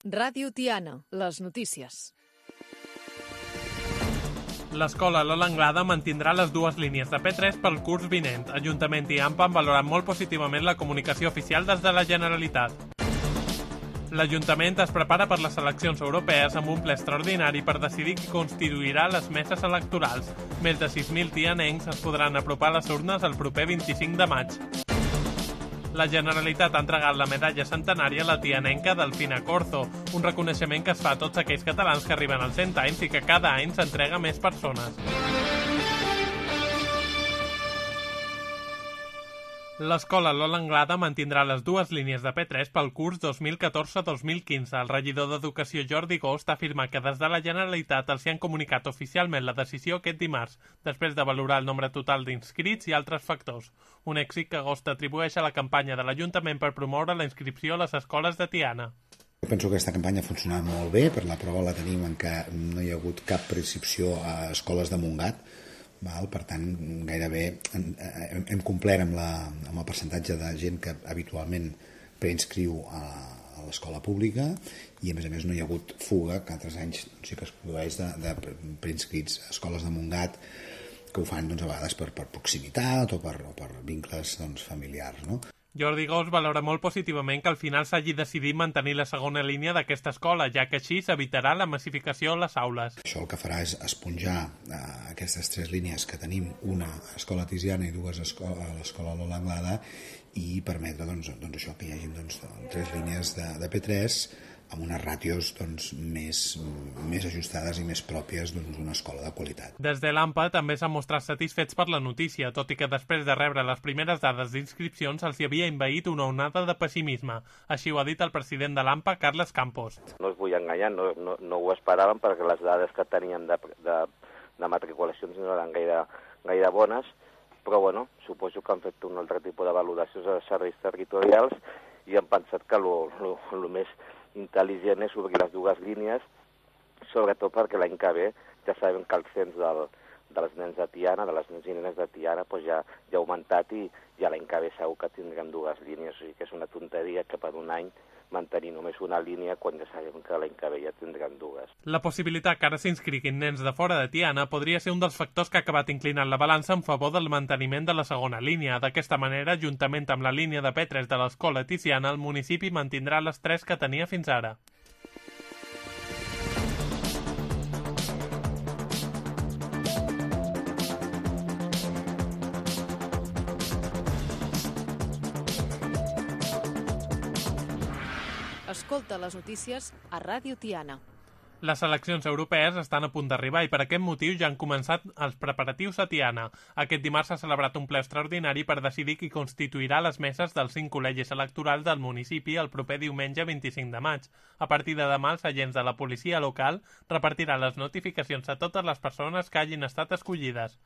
Ràdio Tiana, les notícies. L'escola Lola Anglada mantindrà les dues línies de P3 pel curs vinent. Ajuntament i AMPA han valorat molt positivament la comunicació oficial des de la Generalitat. L'Ajuntament es prepara per les eleccions europees amb un ple extraordinari per decidir qui constituirà les meses electorals. Més de 6.000 tianencs es podran apropar a les urnes el proper 25 de maig. La Generalitat ha entregat la medalla centenària a la tianenca Delfina Corzo, un reconeixement que es fa a tots aquells catalans que arriben als 100 anys i que cada any s'entrega a més persones. L'escola Lola Anglada mantindrà les dues línies de P3 pel curs 2014-2015. El regidor d'Educació Jordi Gost ha afirmat que des de la Generalitat els hi han comunicat oficialment la decisió aquest dimarts, després de valorar el nombre total d'inscrits i altres factors. Un èxit que Gost atribueix a la campanya de l'Ajuntament per promoure la inscripció a les escoles de Tiana. Penso que aquesta campanya ha funcionat molt bé, per la prova la tenim en què no hi ha hagut cap preinscripció a escoles de Montgat. Per tant, gairebé hem complert amb el percentatge de gent que habitualment preinscriu a l'escola pública i a més no hi ha hagut fuga, que altres anys sí que es produeix de preinscrits a escoles de Montgat que ho fan a vegades per proximitat o per vincles familiars, no? Jordi Gost valora molt positivament que al final s'hagi decidit mantenir la segona línia d'aquesta escola, ja que així s'evitarà la massificació a les aules. Això el que farà és esponjar aquestes tres línies que tenim, una a l'escola Tiziana i dues a l'escola Lola Anglada, i permetre això, que hi hagi tres línies de P3 amb unes ràtios més ajustades i més pròpies d'una escola de qualitat. Des de l'AMPA també s'han mostrat satisfets per la notícia, tot i que després de rebre les primeres dades d'inscripcions els hi havia envaït una onada de pessimisme. Així ho ha dit el president de l'AMPA, Carles Campos. No us vull enganyar, no ho esperàvem perquè les dades que teníem de matriculacions no eren gaire bones, però suposo que han fet un altre tipus de valoracions als serveis territorials i han pensat que el més intel·ligent és obrir les dues línies, sobretot perquè l'any que ve ja sabem que el cens dels nens de Tiana, de les nens i nenes de Tiana, ja ha augmentat i ja l'any que ve segur que tindrem dues línies, o sigui que és una tonteria que per un any mantenir només una línia quan ja sabem que l'any que ve ja tindrem dues. La possibilitat que ara s'inscriguin nens de fora de Tiana podria ser un dels factors que ha acabat inclinant la balança en favor del manteniment de la segona línia. D'aquesta manera, juntament amb la línia de P3 de l'escola Tiziana, el municipi mantindrà les tres que tenia fins ara. Escolta les notícies a Ràdio Tiana. Les eleccions europees estan a punt d'arribar i per aquest motiu ja han començat els preparatius a Tiana. Aquest dimarts s'ha celebrat un ple extraordinari per decidir qui constituirà les meses dels 5 col·legis electorals del municipi el proper diumenge 25 de maig. A partir de demà, els agents de la policia local repartiran les notificacions a totes les persones que hagin estat escollides.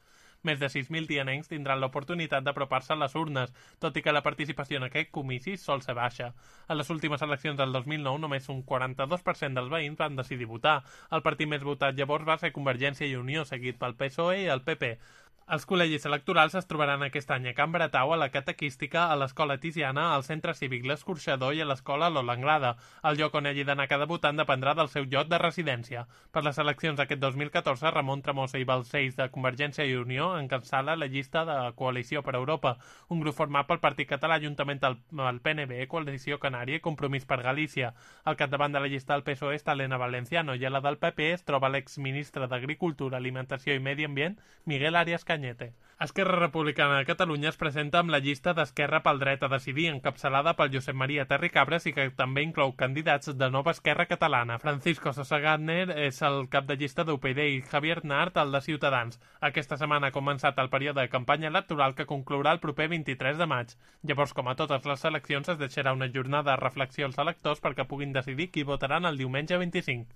Més de 6.000 tianencs tindran l'oportunitat d'apropar-se a les urnes, tot i que la participació en aquest comici sol ser baixa. A les últimes eleccions del 2009, només un 42% dels veïns van decidir votar. El partit més votat llavors va ser Convergència i Unió, seguit pel PSOE i el PP. Els col·legis electorals es trobaran aquest any a Can Bretau, a la Catequística, a l'Escola Tiziana, al Centre Cívic L'Escorxador i a l'Escola Lola Anglada. El lloc on hagi d'anar cada votant dependrà del seu lloc de residència. Per les eleccions d'aquest 2014, Ramon Tremosa i Balcells de Convergència i Unió encapçala la llista de Coalició per Europa, un grup format pel Partit Català juntament amb el PNB, Coalició Canària i Compromís per Galícia. Al capdavant de la llista del PSOE està Elena Valenciano i a la del PP es troba l'exministre d'Agricultura, Alimentació i Medi Ambient, Miguel Arias Cañete. Esquerra Republicana de Catalunya es presenta amb la llista d'Esquerra pel Dret a Decidir, encapçalada pel Josep Maria Terricabras i que també inclou candidats de Nova Esquerra Catalana. Francisco Sosa Gardner és el cap de llista d'UPyD i Javier Nart, el de Ciutadans. Aquesta setmana ha començat el període de campanya electoral que conclourà el proper 23 de maig. Llavors, com a totes les eleccions, es deixarà una jornada de reflexió als electors perquè puguin decidir qui votaran el diumenge 25.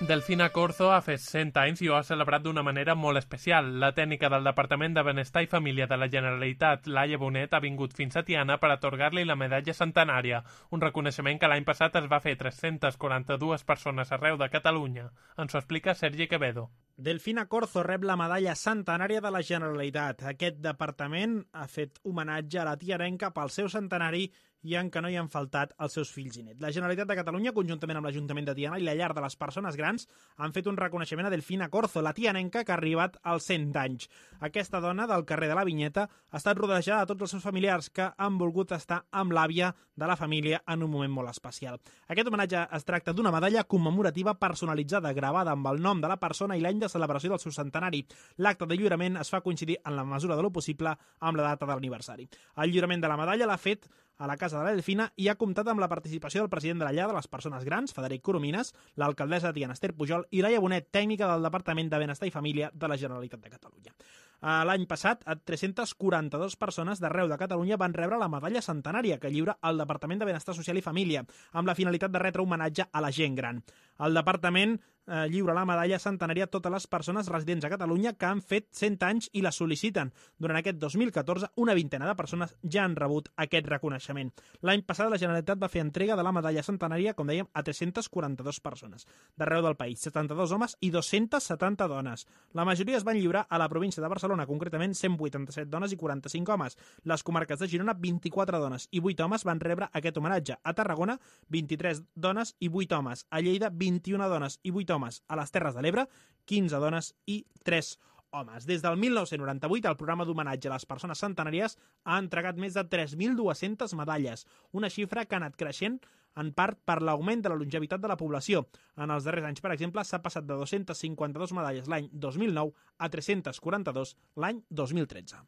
Delfina Corzo ha fet 100 anys i ho ha celebrat d'una manera molt especial. La tècnica del Departament de Benestar i Família de la Generalitat, Laia Bonet, ha vingut fins a Tiana per atorgar-li la medalla centenària, un reconeixement que l'any passat es va fer 342 persones arreu de Catalunya. Ens ho explica Sergi Quevedo. Delfina Corzo rep la medalla centenària de la Generalitat. Aquest departament ha fet homenatge a la tianenca pel seu centenari i en què no hi han faltat els seus fills i nets. La Generalitat de Catalunya, conjuntament amb l'Ajuntament de Tiana i la Llar de les Persones Grans, han fet un reconeixement a Delfina Corzo, la tianenca que ha arribat als 100 anys. Aquesta dona del carrer de la Vinyeta ha estat rodejada de tots els seus familiars que han volgut estar amb l'àvia de la família en un moment molt especial. Aquest homenatge es tracta d'una medalla commemorativa personalitzada, gravada amb el nom de la persona i l'any de celebració del seu centenari. L'acte de lliurament es fa coincidir en la mesura de lo possible amb la data de l'aniversari. El lliurament de la medalla l'ha fet a la Casa de la Delfina i ha comptat amb la participació del president de la Llar de les Persones Grans, Frederic Coromines, l'alcaldessa de Tiana, Esther Pujol, i Laia Bonet, tècnica del Departament de Benestar i Família de la Generalitat de Catalunya. L'any passat, 342 persones d'arreu de Catalunya van rebre la medalla centenària que lliura el Departament de Benestar Social i Família, amb la finalitat de retre homenatge a la gent gran. El departament lliura la medalla centenària a totes les persones residents a Catalunya que han fet 100 anys i la sol·liciten. Durant aquest 2014, una vintena de persones ja han rebut aquest reconeixement. L'any passat, la Generalitat va fer entrega de la medalla centenària, com dèiem, a 342 persones d'arreu del país, 72 homes i 270 dones. La majoria es van lliurar a la província de Barcelona, concretament 187 dones i 45 homes. Les comarques de Girona, 24 dones i 8 homes van rebre aquest homenatge. A Tarragona, 23 dones i 8 homes. A Lleida, 21 dones i 8 homes. A les Terres de l'Ebre, 15 dones i 3 homes. Des del 1998, el programa d'homenatge a les persones centenàries ha entregat més de 3.200 medalles, una xifra que ha anat creixent en part per l'augment de la longevitat de la població. En els darrers anys, per exemple, s'ha passat de 252 medalles l'any 2009 a 342 l'any 2013.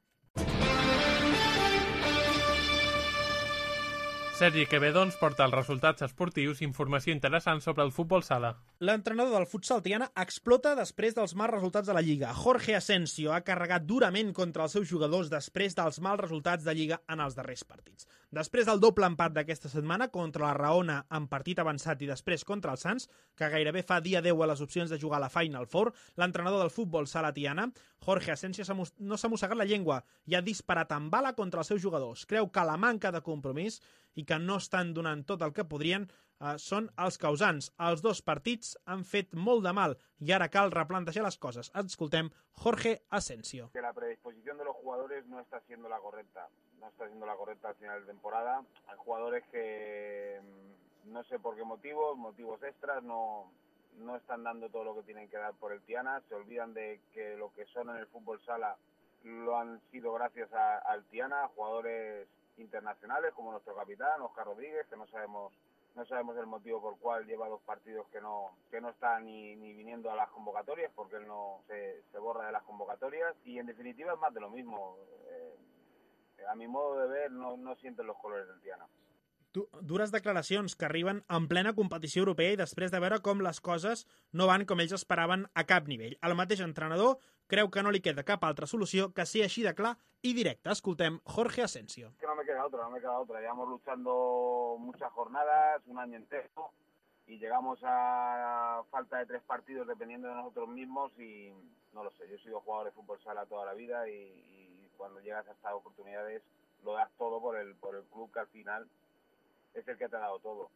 Sergi Quevedo ens porta els resultats esportius i informació interessant sobre el futbol sala. L'entrenador del futsal tiana explota després dels mals resultats de la Lliga. Jorge Asensio ha carregat durament contra els seus jugadors després dels mals resultats de Lliga en els darrers partits. Després del doble empat d'aquesta setmana contra la Raona en partit avançat i després contra el Sants, que gairebé fa dia 10 a les opcions de jugar a la Final Four, l'entrenador del futbol sala tiana, Jorge Asensio, no s'ha mossegat la llengua i ha disparat amb bala contra els seus jugadors. Creu que la manca de compromís i que no estan donant tot el que podrien són els causants. Els dos partits han fet molt de mal i ara cal replantejar les coses. Escoltem Jorge Asensio. Que la predisposición de los jugadores no está siendo la correcta. No está siendo la correcta al final de temporada. Hay jugadores que no sé por qué motivos extras, no están dando todo lo que tienen que dar por el Tiana. Se olvidan de que lo que son en el fútbol sala lo han sido gracias al Tiana, jugadores internacionales como nuestro capitán Óscar Rodríguez, que no sabemos el motivo por el cual lleva 2 partidos que no está ni viniendo a las convocatorias, porque él no se borra de las convocatorias, y en definitiva es más de lo mismo. A mi modo de ver no sienten los colores del Tiana. Dures declaracions que arriben en plena competició europea i després de veure com les coses no van com ells esperaven a cap nivell. El mateix entrenador creu que no li queda cap altra solució que ser així de clar i directe. Escoltem Jorge Asensio. Que no me queda otra. Llevamos luchando muchas jornadas, un año entero, y llegamos a falta de 3 partidos dependiendo de nosotros mismos y no lo sé. Yo he sido jugador de fútbol sala toda la vida y cuando llegas a estas oportunidades lo das todo por el club que al final es el que te ha dado todo.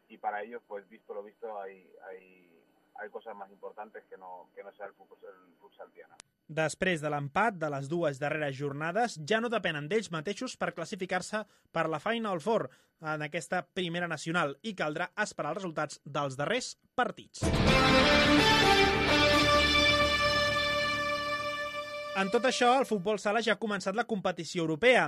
Y para ellos, pues visto lo visto, hay cosas más importantes que no sea el futsal tiana. Després de l'empat de les 2 darreres jornades, ja no depenen d'ells mateixos per classificar-se per la Final Four en aquesta primera nacional i caldrà esperar els resultats dels darrers partits. En tot això, el futbol sala ja ha començat la competició europea.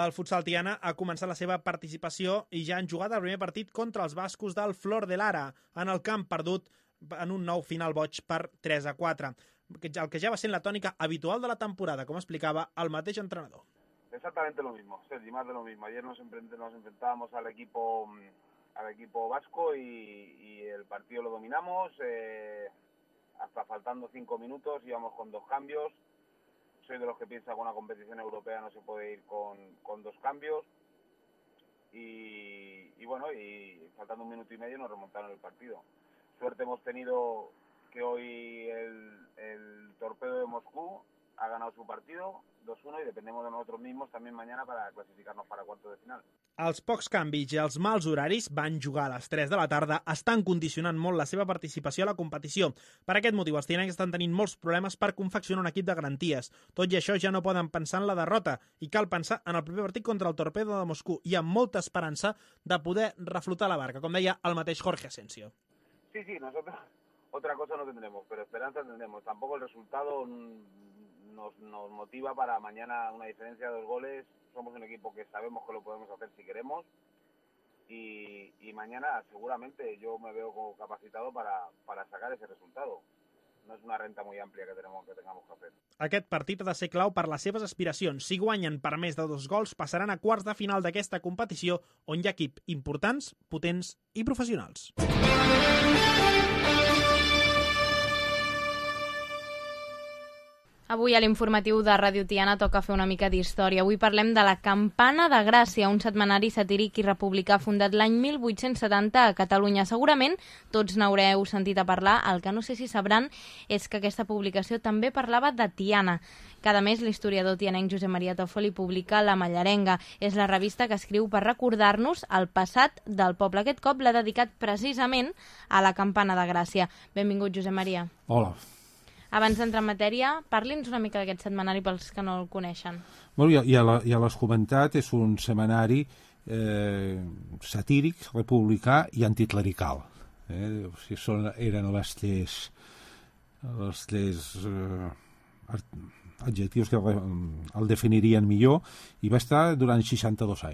El futsal tiana ha començat la seva participació i ja han jugat el primer partit contra els bascos del Flor de Lara, en el camp perdut en un nou final boig per 3-4, el que ja va ser la tònica habitual de la temporada, com explicava el mateix entrenador. Exactamente lo mismo, Sergi, más de lo mismo. Ayer nos enfrentábamos al equipo vasco y el partido lo dominamos, hasta faltando 5 minutos íbamos con 2 cambios. Soy de los que piensa que una competición europea no se puede ir con 2 cambios y bueno, y faltando 1 minuto y medio nos remontaron el partido. Suerte hemos tenido que hoy el Torpedo de Moscú ha ganado su partido 2-1 y dependemos de nosotros mismos también mañana para clasificarnos para cuartos de final. Els pocs canvis i els mals horaris, van jugar a les 3 de la tarda, estan condicionant molt la seva participació a la competició. Per aquest motiu, els tianencs estan tenint molts problemes per confeccionar un equip de garanties. Tot i això, ja no poden pensar en la derrota i cal pensar en el proper partit contra el Torpedo de Moscú i amb molta esperança de poder reflotar la barca, com deia el mateix Jorge Asensio. Sí, nosotros otra cosa no tendremos, pero esperanza tendremos. Tampoco el resultado nos motiva para mañana una diferencia de 2 goles. Somos un equipo que sabemos que lo podemos hacer si queremos y mañana seguramente yo me veo como capacitado para sacar ese resultado. No és una renta molt àmplia que tengamos que hacer. Aquest partit ha de ser clau per les seves aspiracions. Si guanyen per més de 2 gols, passaran a quarts de final d'aquesta competició, on hi ha equips importants, potents i professionals. Avui a l'informatiu de Ràdio Tiana toca fer una mica d'història. Avui parlem de la Campana de Gràcia, un setmanari satíric i republicà fundat l'any 1870 a Catalunya. Segurament tots n'haureu sentit a parlar. El que no sé si sabran és que aquesta publicació també parlava de Tiana. Cada mes l'historiador tianenc Josep Maria Tòfoli publica La Mallarenga. És la revista que escriu per recordar-nos el passat del poble. Aquest cop l'ha dedicat precisament a la Campana de Gràcia. Benvingut, Josep Maria. Hola. Abans d'entrar en matèria, parli'ns una mica d'aquest setmanari pels que no el coneixen. Bueno, ja l'has comentat, és un setmanari satíric, republicà i anticlerical. Eren els adjectius que el definirien millor, i va estar durant 62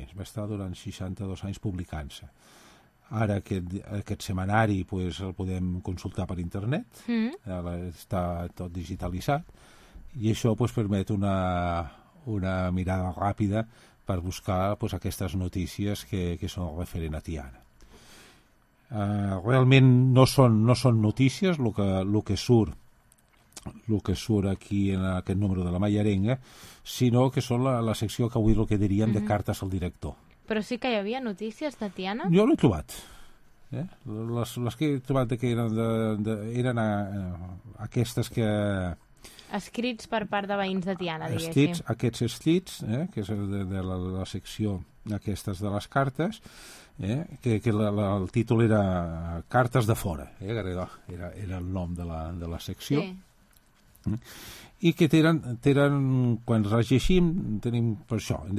anys, publicant-se. Ara aquest setmanari el podem consultar per internet, està tot digitalitzat, i això permet una mirada ràpida per buscar aquestes notícies que són referent a Tiana. Realment no són notícies el que surt aquí en aquest número de La Mallarenga, sinó que són la secció que avui el que diríem de cartes al director. Però sí que hi havia notícies de Tiana? Jo l'he trobat. Les que he trobat que eren aquestes que... Escrits per part de veïns de Tiana, diguéssim. Aquests escrits, que és de la secció aquestes de les cartes, que el títol era Cartes de fora, era el nom de la secció. Sí. I que tenen, quan les llegim, tenim per això, hem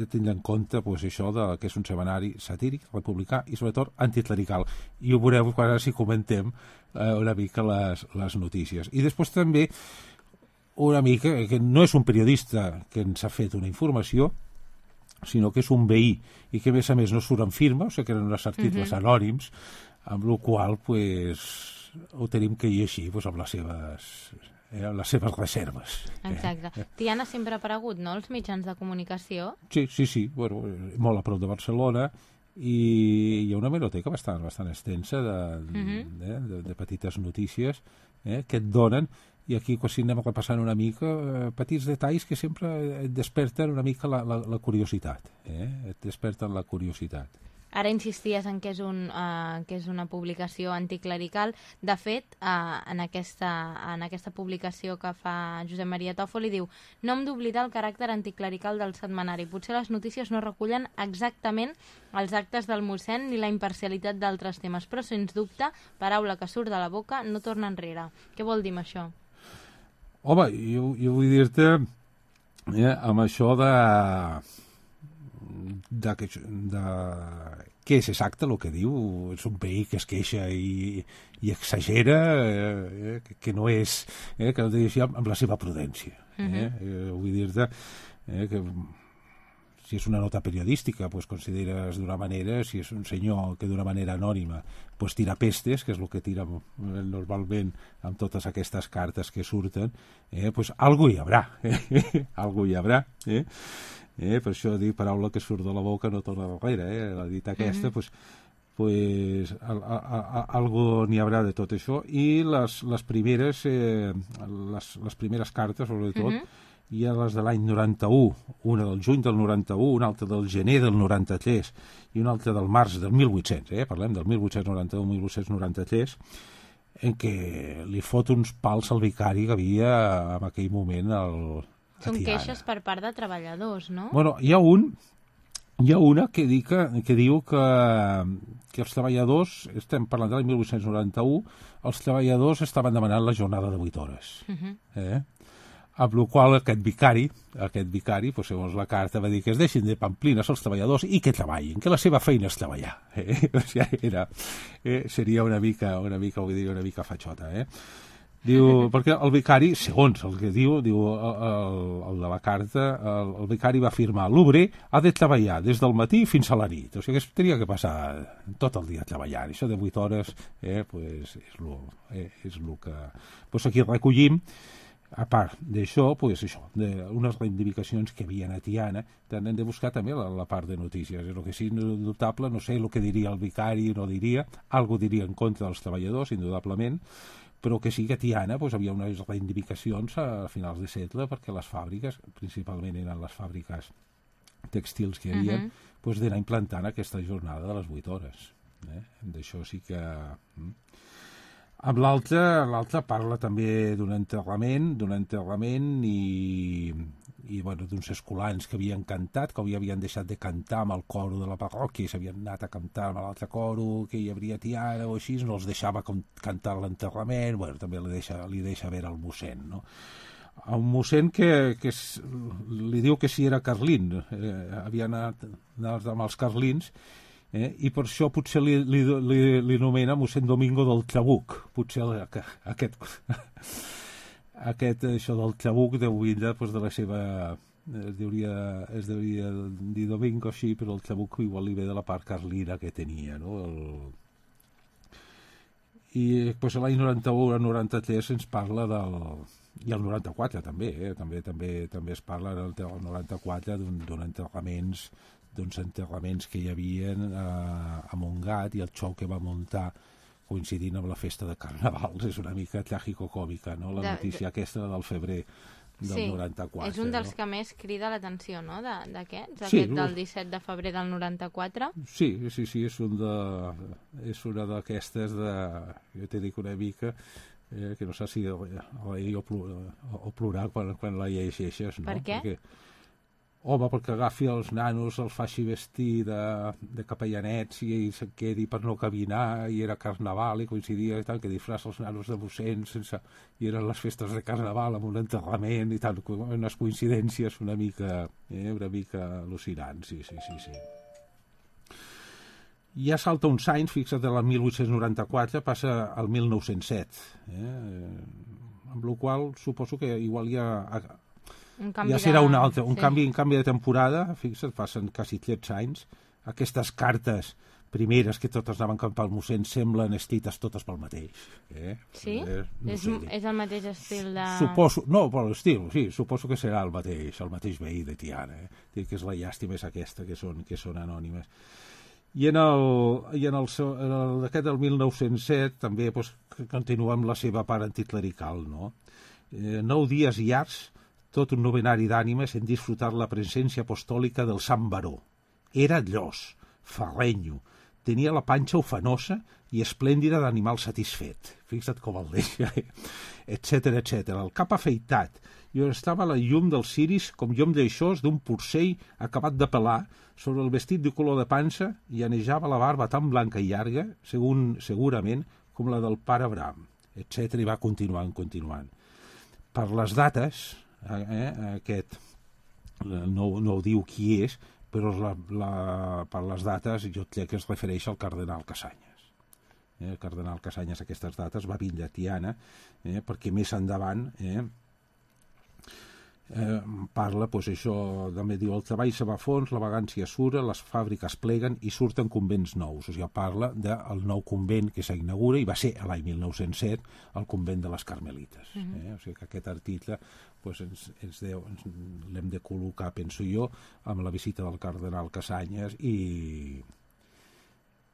de tenir en compte això que és un setmanari satíric, republicà i sobretot anticlerical, i ho veureu quan si comentem una mica les notícies. I després també una mica que no és un periodista que ens ha fet una informació, sinó que és un veí, i que a més no surt en firma, o sigui que eren uns articles anònims, amb la qual ho tenim que llegir amb les seves reserves. Exacte. Tiana sempre ha aparegut, no?, els mitjans de comunicació? Sí. Bueno, molt a prop de Barcelona, i hi ha una hemeroteca bastant extensa de petites notícies que et donen, i aquí si anem repassant una mica petits detalls que sempre et desperten una mica la curiositat. Et desperten la curiositat. Ara insisties en que és una publicació anticlerical. De fet, en aquesta publicació que fa Josep Maria Tòfoli diu: no hem d'oblidar el caràcter anticlerical del setmanari. Potser les notícies no recullen exactament els actes del mossèn ni la imparcialitat d'altres temes, però sens dubte, paraula que surt de la boca no torna enrere. Què vol dir amb això? Home, jo vull dir-te amb això de què és exacte el que diu. És un veí que es queixa i exagera, que no és, que no té amb la seva prudència. Vull dir-te que si és una nota periodística consideres d'una manera, si és un senyor que d'una manera anònima tira pestes, que és el que tira normalment amb totes aquestes cartes que surten, algú hi haurà. Algú hi haurà. Per això dic, paraula que surt de la boca no torna darrere, la dita aquesta, algú n'hi haurà de tot això. I les primeres cartes, sobretot, hi ha les de l'any 91, una del juny del 91, una altra del gener del 93 i una altra del març del 1800, parlem del 1891-1893, en què li fot uns pals al vicari que havia en aquell moment a Són Tiana. queixes per part de treballadors, no? Bueno, hi ha una que diu que els treballadors, estem parlant de l'any 1891, els treballadors estaven demanant la jornada de 8 hores. Amb la qual aquest vicari, doncs, segons la carta, va dir que es deixin de pamplines els treballadors i que treballin, que la seva feina és treballar. O sigui, seria una mica, vull dir, una mica fatxota, Diu, perquè el vicari, segons el que diu el de la carta, el vicari va afirmar: l'obrer ha de treballar des del matí fins a la nit. O sigui, que tenia que passar tot el dia treballant. Això de 8 hores pues, és el que... Pues aquí recollim, a part d'això, pues unes reivindicacions que hi havia a Tiana. Hem de buscar també la part de notícies. El que sí, indubtable, no sé el que diria el vicari, no diria, algo diria en contra dels treballadors, indudablement, però que sí que a Tiana pues, havia unes reivindicacions a finals de segle, perquè les fàbriques, principalment eren les fàbriques tèxtils que hi havia, pues, d'anar implantant aquesta jornada de les 8 hores. D'això sí que... Amb l'altre parla també d'un enterrament i bueno, d'uns escolans que havien cantat, que havien deixat de cantar amb el coro de la parròquia i s'havien anat a cantar amb l'altre coro que hi hauria a Tiana o així, no els deixava cantar l'enterrament. Bueno, també li deixa veure el mossèn, no? Un mossèn que li diu que si era carlín, havia anat amb els carlins, i per això potser li nomena mossèn Domingo del Trabuc. Potser això del Trabuc deu vindre de la seva... Es devia dir Domingo així, però el Trabuc igual li ve de la part carlina que tenia, no? I l'any 91 al 93 ens parla del... I el 94 també, també es parla del 94 d'uns enterraments que hi havia a Montgat, i el show que va muntar coincidint amb la festa de Carnavals. És una mica tràgico-còmica, no? La notícia aquesta del febrer del 94. És un dels que més crida l'atenció, no?, d'aquests, sí, aquest del 17 de febrer del 94. Sí, és una d'aquestes jo t'he dit una mica, que no sé si reir o plorar quan la llegeixes, no? Per què? Perquè agafi els nanos, els faci vestir de capellanets i se'n quedi per no caminar, i era Carnaval i coincidia i tal, que disfressa els nanos de mossèn i eren les festes de Carnaval amb un enterrament i tal, unes coincidències una mica al·lucinants, sí. Ja salta uns anys, fixa't, de el 1894 passa al 1907, amb la qual suposo que igual ja serà un altre, un canvi de temporada. Fixa't, passen quasi 13 anys. Aquestes cartes primeres que totes anaven cap al mossèn semblen estites totes pel mateix. Sí? És el mateix estil de... Suposo, no, per l'estil, sí, suposo que serà el mateix veí de Tiana. Que és la llàstima és aquesta, que són anònimes. I en aquest del 1907 també continua amb la seva part anticlerical, no? 9 dies llargs, tot un novenari d'ànimes en disfrutar la presència apostòlica del Sant Baró. Era llos, ferrenyo, tenia la panxa ufanosa i esplèndida d'animal satisfet. Fixa't com el deixa, etcètera. El cap afeitat, i on estava la llum dels ciris com llum d'aixòs d'un porcell acabat de pelar sobre el vestit de color de pansa, i anejava la barba tan blanca i llarga, segurament, com la del pare Abraham, etcètera, i va continuant. Per les dates... aquest no ho diu qui és, però per les dates jo crec que es refereix al cardenal Casanyes. El cardenal Casanyes aquestes dates va vindre a Tiana, perquè més endavant parla, això també diu: el treball se va a fons, la vagància sura, les fàbriques pleguen i surten convents nous. O sigui, parla del nou convent que s'inaugura, i va ser l'any 1907 el convent de les Carmelites. O sigui que aquest article l'hem de col·locar, penso jo, amb la visita del cardenal Casanyes i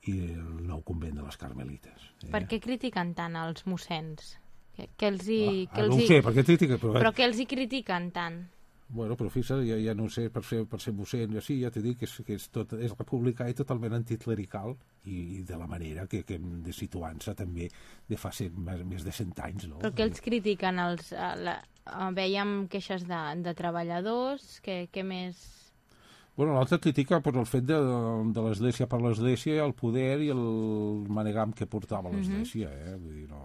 el nou convent de les Carmelites. Per què critiquen tant els mossens? No ho sé, per què critiquen? Però què els hi critiquen tant? Bueno, però fixa't, ja no sé, per ser mossèn, sí, ja t'he dit que és republicà i totalment anticlerical, i de la manera que hem de situar-se també de fa més de 100 anys, no? Però què els critiquen? Vèiem queixes de treballadors, què més... Bueno, l'altre critica per el fet de l'Església per l'Església, el poder i el manegam que portava l'Església, vull dir, no...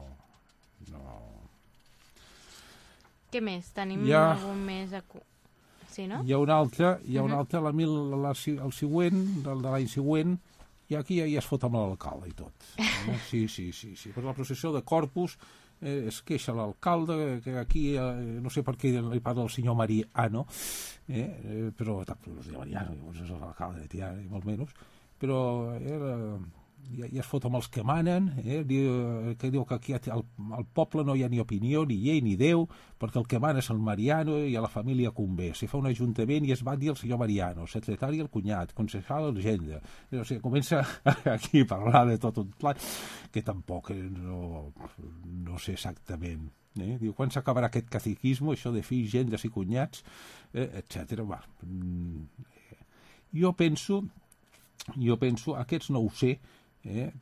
Què més? Tenim algun més... Sí, no? Hi ha un altre, el següent, de l'any següent, i aquí ja es fot amb l'alcalde i tot. Sí. Per la processió de Corpus es queixa l'alcalde, que aquí, no sé per què li parla el senyor Mariano, però tampoc no es diu Mariano, llavors és l'alcalde de Tiana, i molt menys, però ja es fot amb els que manen, que diu que aquí al poble no hi ha ni opinió, ni llei, ni Déu, perquè el que mana és el Mariano i a la família convé. Si fa un ajuntament i es va dir el senyor Mariano, secretari el cunyat, concejal l'agenda. O sigui, comença aquí a parlar de tot un plat que tampoc no sé exactament. Diu, quan s'acabarà aquest catequisme, això de fills, gendres i cunyats, etc. Jo penso, aquests no ho sé,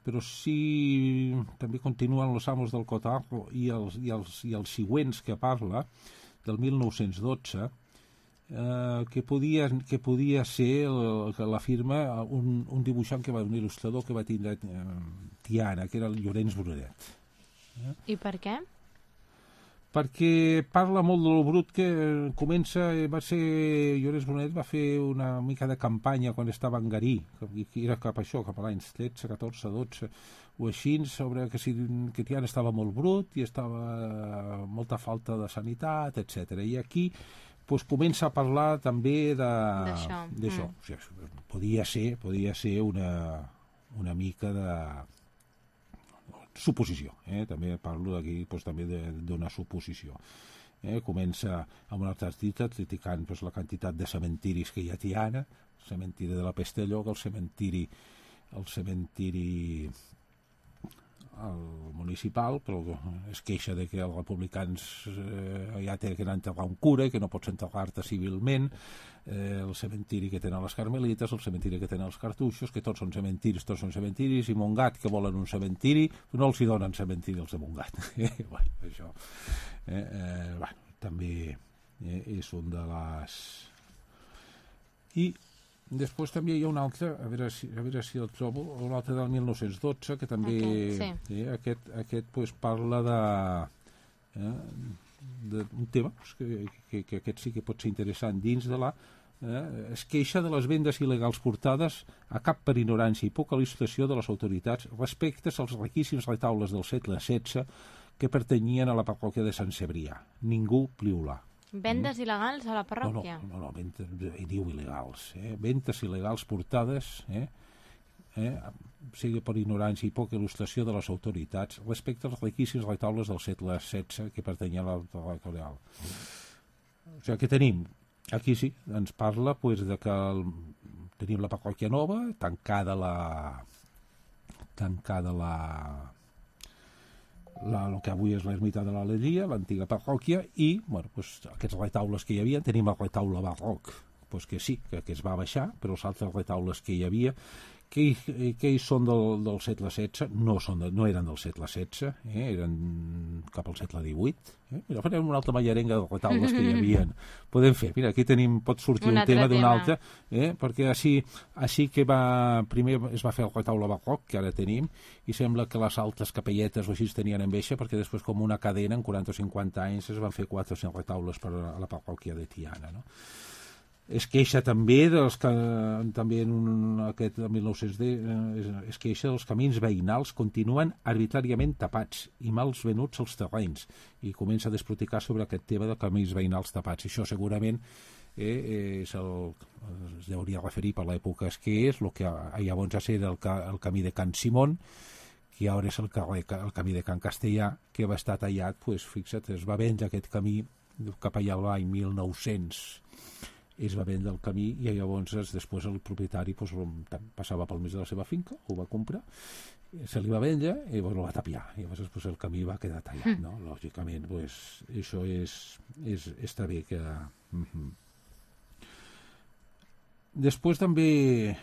però sí també continuen els amos del Cotarro i els següents que parla del 1912, que podia ser que la firma un dibuixant un il·lustrador que va tindre Tiana, que era el Llorenç Brunet. I per què? Perquè parla molt del brut que comença, Llorenç Brunet va fer una mica de campanya quan estava en Garí, que era cap a l'any 13, 14, 12, o així, sobre que Tiana estava molt brut i estava molta falta de sanitat, etc. I aquí comença a parlar també d'això. O sigui, podia ser una mica de suposició, també parlo d'aquí també d'una suposició. Comença amb un altre article criticant la quantitat de cementiris que hi ha a Tiana, el cementiri de la Pestelló, el cementiri municipal, però es queixa de que els republicans ja tenen que enterrar un cura i que no pots enterrar-te civilment, el cementiri que tenen les carmelites, el cementiri que tenen els cartuixos, que tots són cementiris, i Montgat, que volen un cementiri, no els hi donen cementiri els de Montgat. Això també és un de les... I després també hi ha un altre, a veure si el trobo, un altre del 1912, que també aquest parla d'un tema que aquest sí que pot ser interessant dins de es queixa de les vendes il·legals portades a cap per ignorància i poca il·lustració de les autoritats respecte als riquíssims retaules del segle XVI que pertanyien a la parròquia de Sant Cebrià. Ningú pliulà. Vendes il·legals a la parròquia? No, diu il·legals. Vendes il·legals portades, sigui per ignorància i poca il·lustració de les autoritats respecte als riquíssims retaules del segle XVI que pertanyien a la parròquia real. O sigui, què tenim? Aquí sí, ens parla de que tenim la parròquia nova, tancada el que avui és l'ermita de l'Alegria, l'antiga parròquia, i aquests retaules que hi havia, tenim el retaule barroc, que sí, que es va baixar, però els altres retaules que hi havia, que són del segle XVI, no eren del segle XVI, eren cap al segle XVIII. Mira, farem una altra mallarenga de retaules que hi havia. Podem fer, mira, aquí pot sortir un tema d'un altre, perquè així que primer es va fer el retaule barroc, que ara tenim, i sembla que les altres capelletes o així tenien enveja, perquè després com una cadena, en 40 o 50 anys, es van fer 400 retaules per a la parròquia de Tiana, no? Es queixa també també en aquest 1910 es queixa dels camins veïnals continuen arbitràriament tapats i mals venuts als terrenys, i comença a desproticar sobre aquest tema de camins veïnals tapats. Això segurament es hauria de referir per l'època que és el que llavors era el camí de Can Simón, que ara és el camí de Can Castellà, que va estar tallat, fixa't, es va vendre aquest camí cap allà l'any 1900, es va vendre el camí, i llavors després el propietari passava pel mig de la seva finca, ho va comprar, se li va vendre i el va tapiar, i llavors el camí va quedar tallat, no? Lògicament, això està bé que... Després també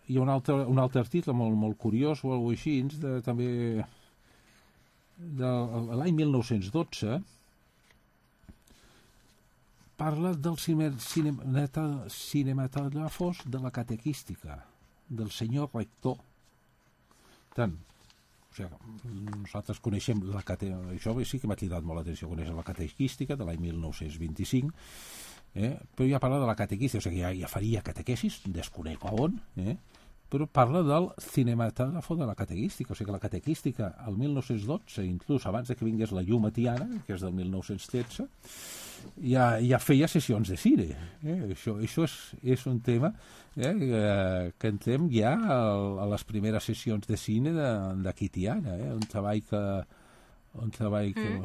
hi ha un altre article molt curiós o alguna cosa així, també de l'any 1912, parla del cinematògrafos de la catequística, del senyor rector. Tant, o sigui, nosaltres coneixem això sí que m'ha cridat molt l'atenció, conèixer la catequística de l'any 1925, però ja parla de la catequística, o sigui, ja faria catequesis, desconec on, però parla del cinematògrafo de la catequística, o sigui que la catequística al 1912, inclús abans de que vingués la llum a Tiana, que és del 1913, ja feia sessions de cine. Això és un tema que entrem ja a les primeres sessions de cine d'aquí Tiana, un treball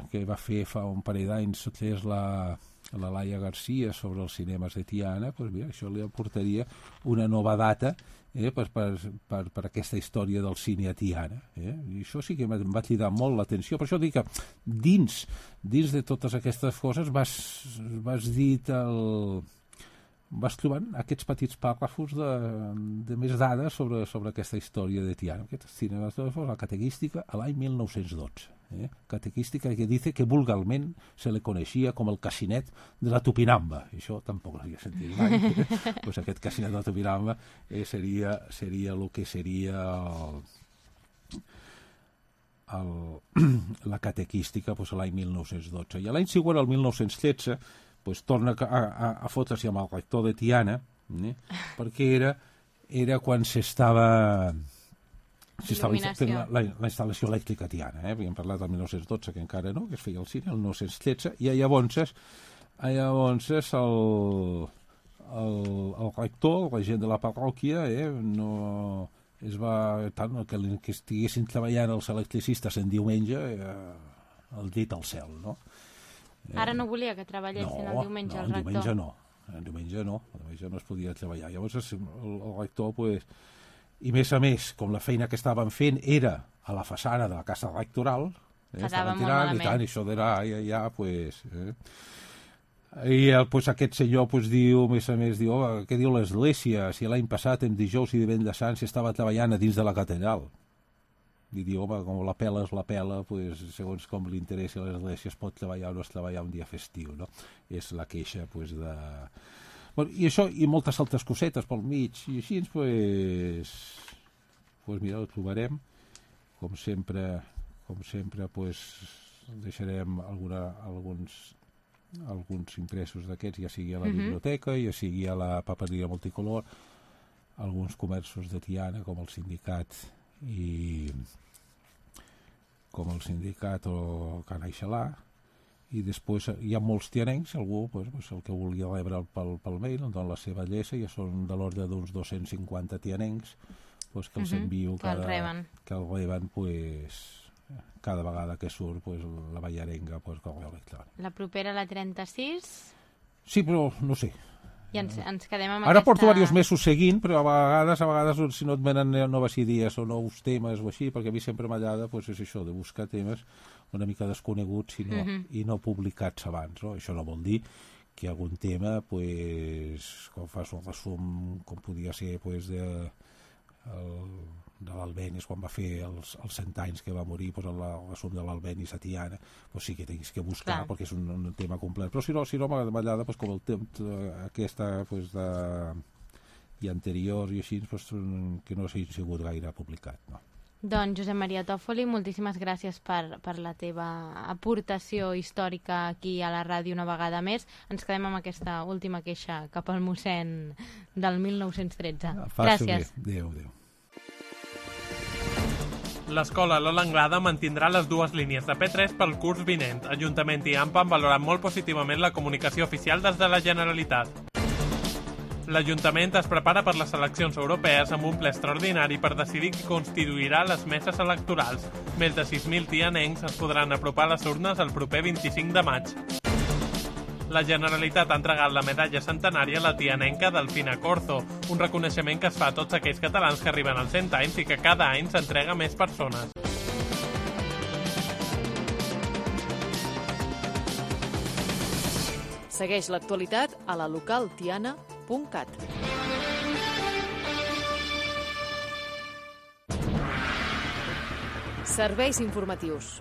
que va fer fa un parell d'anys és la Laia Garcia sobre els cinemes de Tiana. Doncs mira, això li aportaria una nova data per aquesta història del cine a Tiana. I això sí que em va cridar molt l'atenció. Per això dic que dins de totes aquestes coses vas trobant aquests petits pàrrafos de més dades sobre aquesta història de Tiana. Aquest cinema de la catequística a l'any 1912. Catequística que dice que vulgarment se le coneixia com el casinet de la Tupinamba. Això tampoc l'havia sentit mai. Pues aquest casinet de la Tupinamba seria el que seria la catequística l'any 1912. I l'any següent, el 1913, torna a fotre's amb el rector de Tiana, perquè era quan s'estava fent la instal·lació elèctrica a Tiana. Havíem parlat del 1912, que encara no, que es feia el cine, el 1913, i llavors el rector, la gent de la parròquia, no es va... tant que estiguessin treballant els electricistes en diumenge, el dit al cel, no? Ara no volia que treballessin el diumenge, el rector. El diumenge no es podia treballar. Llavors el rector, i més a més, com la feina que estaven fent era a la façana de la casa rectoral, quedava molt malament. I tant, això era I aquest senyor diu, a més a més, què diu l'Església? Si l'any passat, en dijous i divendres sant, s'estava treballant a dins de la catedral. I diu, home, com la pela és la pela, segons com li interessi a l'Església es pot treballar o no es treballar un dia festiu, no? És la queixa, de... I això, i moltes altres cosetes pel mig, i així, mira, ho trobarem. Com sempre, deixarem alguns impressos d'aquests, ja sigui a la biblioteca, ja sigui a la papereria multicolor, alguns comerços de Tiana, com el sindicat o Can Aixalà, i després hi ha molts tianencs, algú, el que vulgui rebre pel mail, la seva adreça, ja són de l'ordre d'uns 250 tianencs, que els envio que el reben cada vegada que surt la ballarenga correu electrònic. La propera, la 36? Sí, però no sé. I ens quedem amb Ara porto diversos mesos seguint, però a vegades si no et venen noves idees o nous temes o així, perquè a mi sempre m'agrada és això, de buscar temes una mica desconeguts i no publicats abans. No? Això no vol dir que algun tema, quan fas un resum, com podia ser de l'Albenis, quan va fer els 100 anys que va morir, el resum de l'Albenis a Tiana, sí que tens que buscar, perquè és un tema complet. Però si no m'agrada, com el temps aquesta i anterior i així, que no s'hagi sigut gaire publicat, no? Doncs, Josep Maria Tòfoli, moltíssimes gràcies per la teva aportació històrica aquí a la ràdio una vegada més. Ens quedem amb aquesta última queixa cap al mossèn del 1913. Gràcies. Adéu. L'escola Lola Anglada mantindrà les dues línies de P3 pel curs vinent. Ajuntament i AMPA han valorat molt positivament la comunicació oficial des de la Generalitat. L'Ajuntament es prepara per les eleccions europees amb un ple extraordinari per decidir qui constituirà les meses electorals. Més de 6.000 tianencs es podran apropar a les urnes el proper 25 de maig. La Generalitat ha entregat la medalla centenària a la tianenca Delfina Corzo, un reconeixement que es fa a tots aquells catalans que arriben als 100 anys i que cada any s'entrega a més persones. Segueix l'actualitat a la localtiana.cat. Serveis informatius.